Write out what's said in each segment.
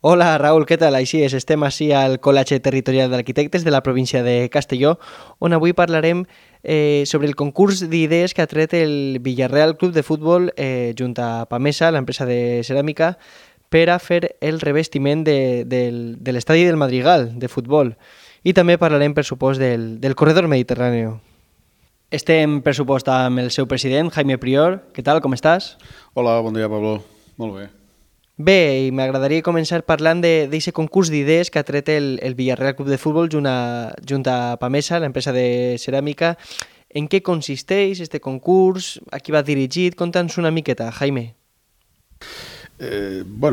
Hola Raúl, què tal? Així és, estem ací al Col·legi Territorial d'Arquitectes de la província de Castelló, on avui parlarem sobre el concurs d'idees que ha tret el Villarreal Club de Futbol junt a Pamesa, l'empresa de ceràmica, per a fer el revestiment de l'estadi del Madrigal de futbol. I també parlarem, per supost, del corredor mediterrani. Estem, per supost, amb el seu president, Jaime Prior. Què tal, com estàs? Hola, bon dia, Pablo. Molt bé. Bé, i m'agradaria començar parlant d'aquest concurs d'idees que ha tret el Villarreal Club de Futbol junt a Pamesa, l'empresa de ceràmica. En què consisteix este concurs? A qui va dirigit? Conta'ns una miqueta, Jaime.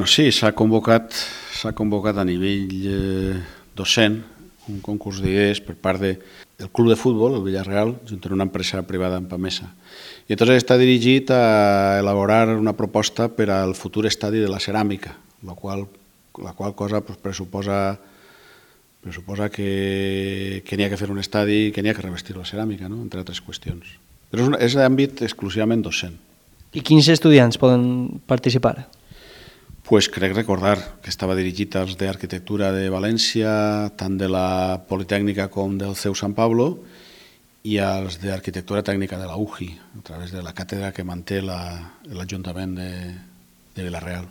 Sí, s'ha convocat a nivell docent un concurs d'idees per part del club de futbol, el Villarreal, junt amb una empresa privada en Pamesa. I entonces està dirigit a elaborar una proposta per al futur estadi de la ceràmica, la qual cosa pues, pressuposa que n'hi ha que fer un estadi, que n'hi ha que revestir la ceràmica, no? Entre altres qüestions. Però és d'àmbit exclusivament docent. I quins estudiants poden participar? Pues crec recordar que estava dirigit als d'Arquitectura de València, tant de la Politècnica com del CEU Sant Pablo, i als d'Arquitectura Tècnica de la UJI, a través de la càtedra que manté l'Ajuntament de Vila-real.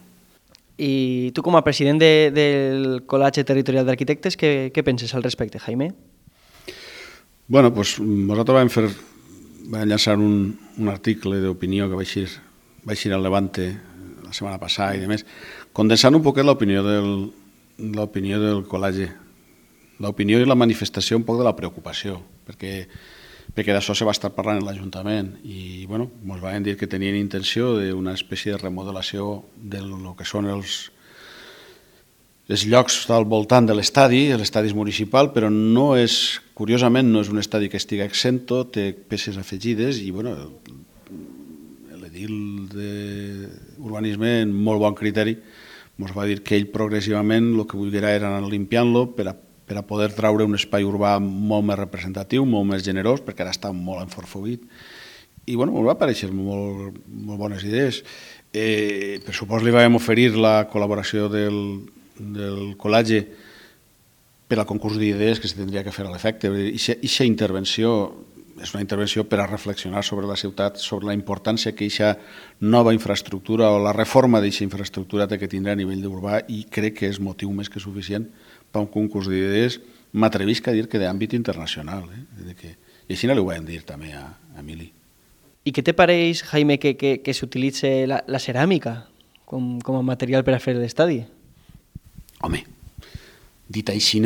I tu, com a president del Col·legi Territorial d'Arquitectes, què penses al respecte, Jaime? Bueno, pues nosaltres vam llançar un article d'opinió que va eixir al Levante la setmana passada i demés, condensant un poquet l'opinió del col·legi, l'opinió i la manifestació un poc de la preocupació, perquè d'això se va estar parlant en l'Ajuntament i bueno, ens van dir que tenien intenció d'una espècie de remodelació del que són els llocs al voltant de l'estadi és municipal, però curiosament no és un estadi que estigui exento, té peces afegides i bueno, l'edil d'urbanisme, en molt bon criteri, ens va dir que ell progressivament el que volguera era anar limpiant-lo per a poder traure un espai urbà molt més representatiu, molt més generós, perquè ara està molt enforfoguit. I bueno, ens va aparèixer molt bones idees. Per supost li vam oferir la col·laboració del col·legi per al concurs d'idees que se tindria que fer a l'efecte. Eixa intervenció és una intervenció per a reflexionar sobre la ciutat, sobre la importància que eixa nova infraestructura o la reforma d'eixa infraestructura té que tindre a nivell urbà i crec que és motiu més que suficient per un concurs d'idees, m'atrevisc a dir que d'àmbit internacional. I així no li ho vam dir també a Emili. I què te pareix, Jaime, que s'utilitzi la ceràmica com a material per a fer l'estadi? Home, dit així,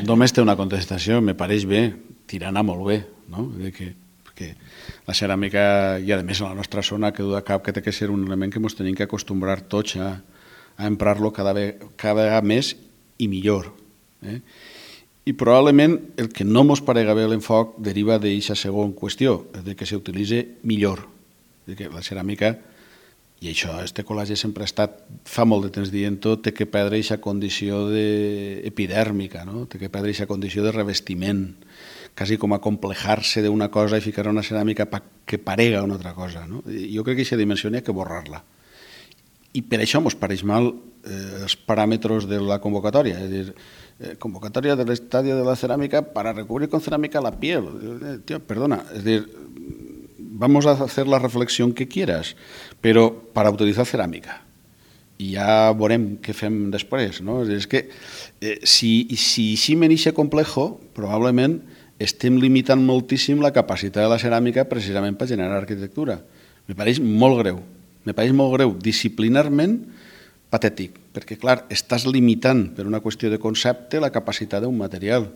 només té una contestació, me pareix bé, tirant molt bé, no? Perquè la ceràmica, i a més a la nostra zona, que du de cap que té que ser un element que ens tenim que acostumbrar tots a emprar-lo cada vegada més i millor. I probablement el que no ens parega bé l'enfoc deriva d'aquesta segona qüestió, de que s'utilitzi millor. Que la ceràmica, i això este col·legi sempre ha estat, fa molt de temps dient-ho, té que perdre aquesta condició epidèrmica, no? Té que perdre aquesta condició de revestiment, quasi com a complejar-se d'una cosa i ficar una ceràmica que parega una altra cosa. No? Jo crec que aquesta dimensió n'hi ha que borrar-la. I per això ens pareix mal els paràmetres de la convocatòria, és a dir, convocatòria de l'estadi de la ceràmica para recubrir con cerámica la piel. Tío, perdona, es decir, vamos a hacer la reflexión que quieras, pero para utilizar cerámica. I ja veurem què fem després. No? És que si me n'ixe complejo, probablement estem limitant moltíssim la capacitat de la ceràmica precisament per generar arquitectura. Me pareix molt greu, disciplinarment patètic, perquè, clar, estàs limitant per una qüestió de concepte la capacitat d'un material.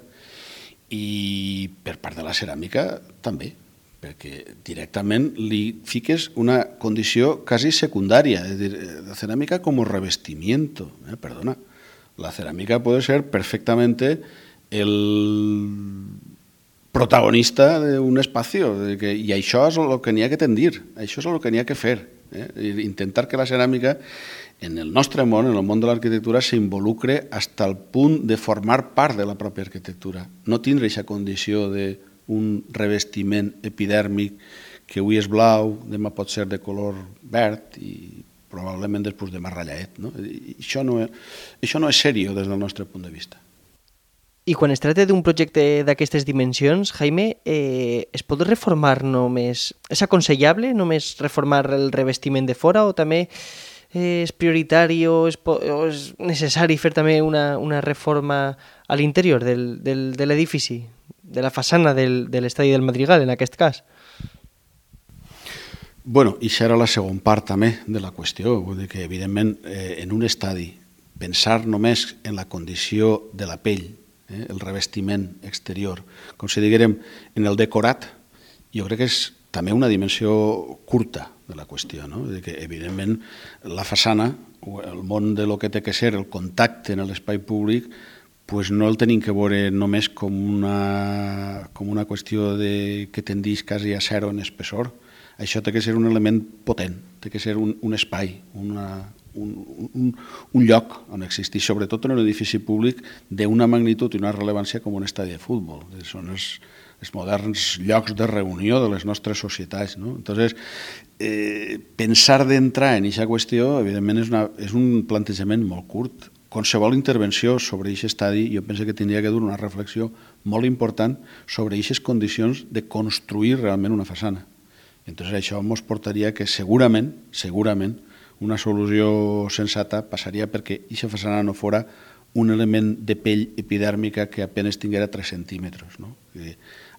I per part de la ceràmica també, perquè directament li fiques una condició quasi secundària, és a dir, la ceràmica com a revestimiento. Perdona, la ceràmica puede ser perfectamente el protagonista d'un espai, i això és el que n'hi ha que tendir, això és el que n'hi ha que fer. Intentar que la ceràmica en el nostre món, en el món de l'arquitectura, s'involucre fins al punt de formar part de la pròpia arquitectura, no tindre aquesta condició d'un revestiment epidèrmic que avui és blau, demà pot ser de color verd i probablement després de més ratllet. No? Això no és seriós des del nostre punt de vista. I quan es tracta d'un projecte d'aquestes dimensions, Jaime, es pot reformar només... És aconsellable només reformar el revestiment de fora o també és prioritari o és necessari fer també una reforma a l'interior de l'edifici, de la façana de l'estadi del Madrigal, en aquest cas? Bueno, i això era la segona part també de la qüestió, vull dir que evidentment en un estadi pensar només en la condició de la pell, el revestiment exterior, com si diguérem en el decorat, jo crec que és també una dimensió curta de la qüestió, no? Que evidentment la façana, el món de lo que té que ser el contacte en l'espai públic, pues no el tenim que veure només com una qüestió que tendeix quasi a zero en espessor. Això té que ser un element potent, té que ser un espai, un lloc on existeix, sobretot en un edifici públic d'una magnitud i una rellevància com un estadi de futbol. Són els moderns llocs de reunió de les nostres societats. No? Entonces, pensar d'entrar en aquesta qüestió, evidentment, és un plantejament molt curt. Qualsevol intervenció sobre aquest estadi, jo penso que tindria que dur una reflexió molt important sobre aquestes condicions de construir realment una façana. Entonces, això ens portaria que segurament, una solució sensata passaria perquè aquesta façana no fora un element de pell epidèrmica que apenas tinguera 3 centímetres. No?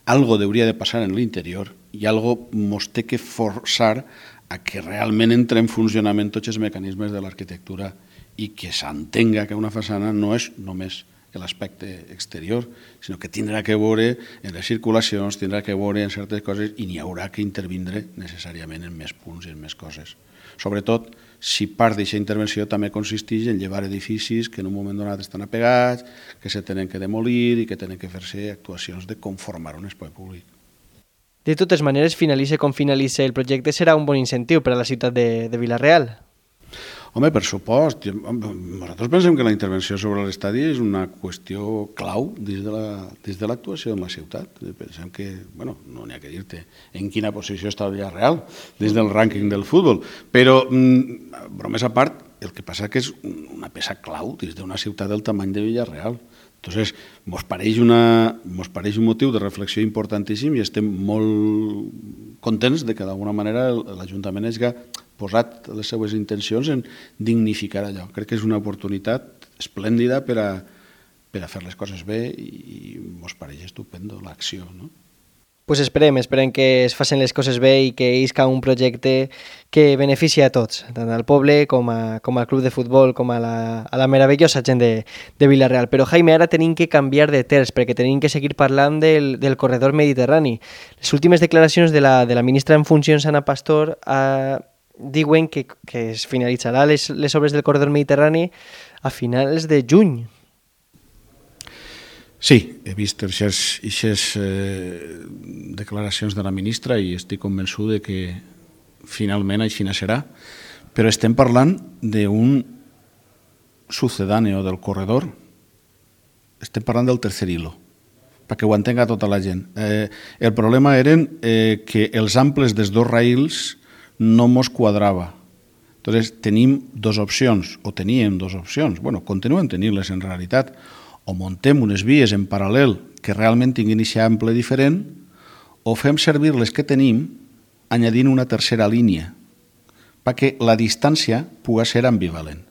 Algo hauria de passar en l'interior i algo ens té que forçar a que realment entre en funcionament tots els mecanismes de l'arquitectura i que s'entenga que una façana no és només l'aspecte exterior, sinó que tindrà que veure en les circulacions, tindrà que veure en certes coses i n'hi haurà que intervindre necessàriament en més punts i en més coses. Sobretot, si part d'aquesta intervenció també consisteix en llevar edificis que en un moment donat estan apegats, que se tenen que demolir i que tenen que fer-se actuacions de conformar un espai públic. De totes maneres, finalitzi com finalitzi el projecte, serà un bon incentiu per a la ciutat de Vila-real. Home, per supost. Nosaltres pensem que la intervenció sobre l'estadi és una qüestió clau dins de l'actuació en la ciutat. Pensem que, bueno, no n'hi ha que dir-te en quina posició està el Villarreal dins del rànquing del futbol, però, bromes a part, el que passa que és una peça clau dins d'una ciutat del tamany de Villarreal. Entonces, mos pareix un motiu de reflexió importantíssim i estem molt contents de que d'alguna manera l'Ajuntament hagi posat les seues intencions en dignificar allò. Crec que és una oportunitat esplèndida per a fer les coses bé i mos pareix estupendo l'acció, no? Pues esperem que es facin les coses bé i que isca un projecte que beneficia a tots, tant al poble com al club de futbol, com a la meravellosa gent de Vila-real. Però, Jaime, ara tenim que canviar de terç, perquè tenim que seguir parlant del corredor mediterrani. Les últimes declaracions de la ministra en funcions, Ana Pastor, diuen que es finalitzarà les obres del corredor mediterrani a finals de juny. Sí, he vist aquestes declaracions de la ministra i estic convençut de que finalment així serà, però estem parlant d'un sucedáneo del corredor, estem parlant del tercer hilo, perquè ho entenga tota la gent. El problema eren que els amples dels dos raïls no mos quadrava. Entonces teníem dues opcions, bueno, continuem tenint-les en realitat, o muntem unes vies en paral·lel que realment tinguin aquest ample diferent, o fem servir les que tenim añadint una tercera línia, perquè la distància pugui ser ambivalent.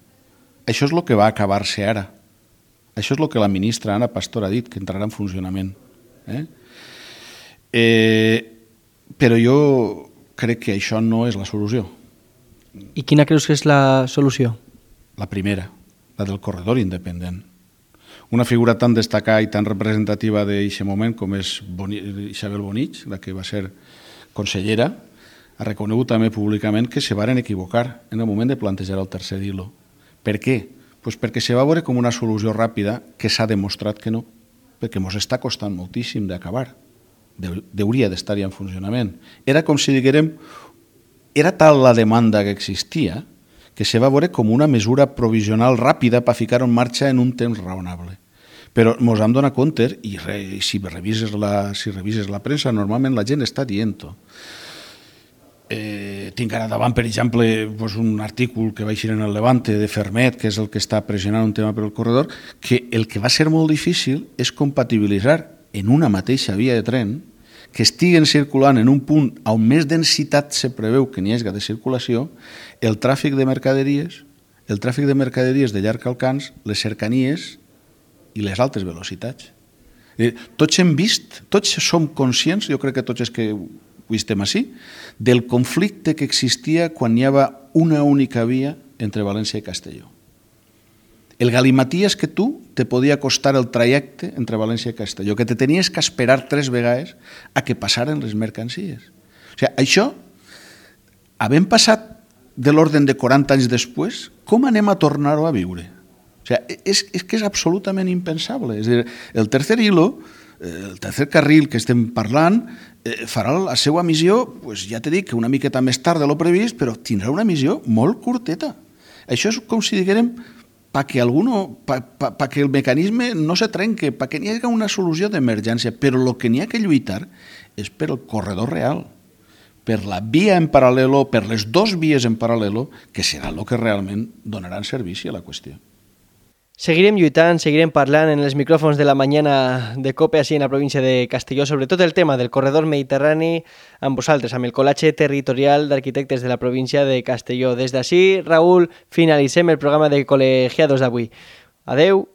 Això és el que va acabar-se ara. Això és el que la ministra Ana Pastor ha dit, que entrarà en funcionament. Però jo crec que això no és la solució. I quina creus que és la solució? La primera, la del corredor independent. Una figura tan destacada i tan representativa d'aquest moment com és Isabel Bonich, la que va ser consellera, ha reconegut també públicament que se varen equivocar en el moment de plantejar el tercer hilo. Per què? Pues perquè se va veure com una solució ràpida que s'ha demostrat que no, perquè ens està costant moltíssim d'acabar. Hauria d'estar-hi en funcionament. Era com si diguérem, era tal la demanda que existia que se va veure com una mesura provisional ràpida per ficar en marxa en un temps raonable. Però ens hem donat compte, i si revises la premsa, normalment la gent està dient-ho. Tinc ara davant, per exemple, un artícul que va eixir en el Levante de Fermet, que és el que està pressionant un tema per el corredor, que el que va ser molt difícil és compatibilitzar en una mateixa via de tren que estiguen circulant en un punt on més densitat se preveu que n'hi hagi de circulació, el tràfic de mercaderies, de llarg alcance, les cercanies i les altes velocitats. Tots hem vist, tots som conscients, jo crec que tots els que avui estem així, del conflicte que existia quan hi havia una única via entre València i Castelló. El galimaties que tu te podia costar el trajecte entre València i Castelló, que te tenies que esperar 3 vegades a que passaren les mercancies. O sigui, això, havent passat de l'ordre de 40 anys després, com anem a tornar-ho a viure? O sigui, és que és absolutament impensable. És a dir, el tercer hilo, el tercer carril que estem parlant, farà la seva missió, ja t'he dit que una miqueta més tard de lo previst, però tindrà una missió molt curteta. Això és com si diguérem perquè el mecanisme no se trenque, perquè n'hi hagi una solució d'emergència, però el que n'hi ha que lluitar és per el corredor real, per la via en paral·lelo, per les 2 vies en paral·lelo, que serà el que realment donaran servici a la qüestió. Seguirem lluitant, seguirem parlant en els micròfons de la mañana de COPE així en la província de Castelló, sobretot el tema del corredor mediterrani amb vosaltres, amb el Col·legi Territorial d'Arquitectes de la província de Castelló. Des d'ací, Raül, finalitzem el programa de col·legiados d'avui. Adeu.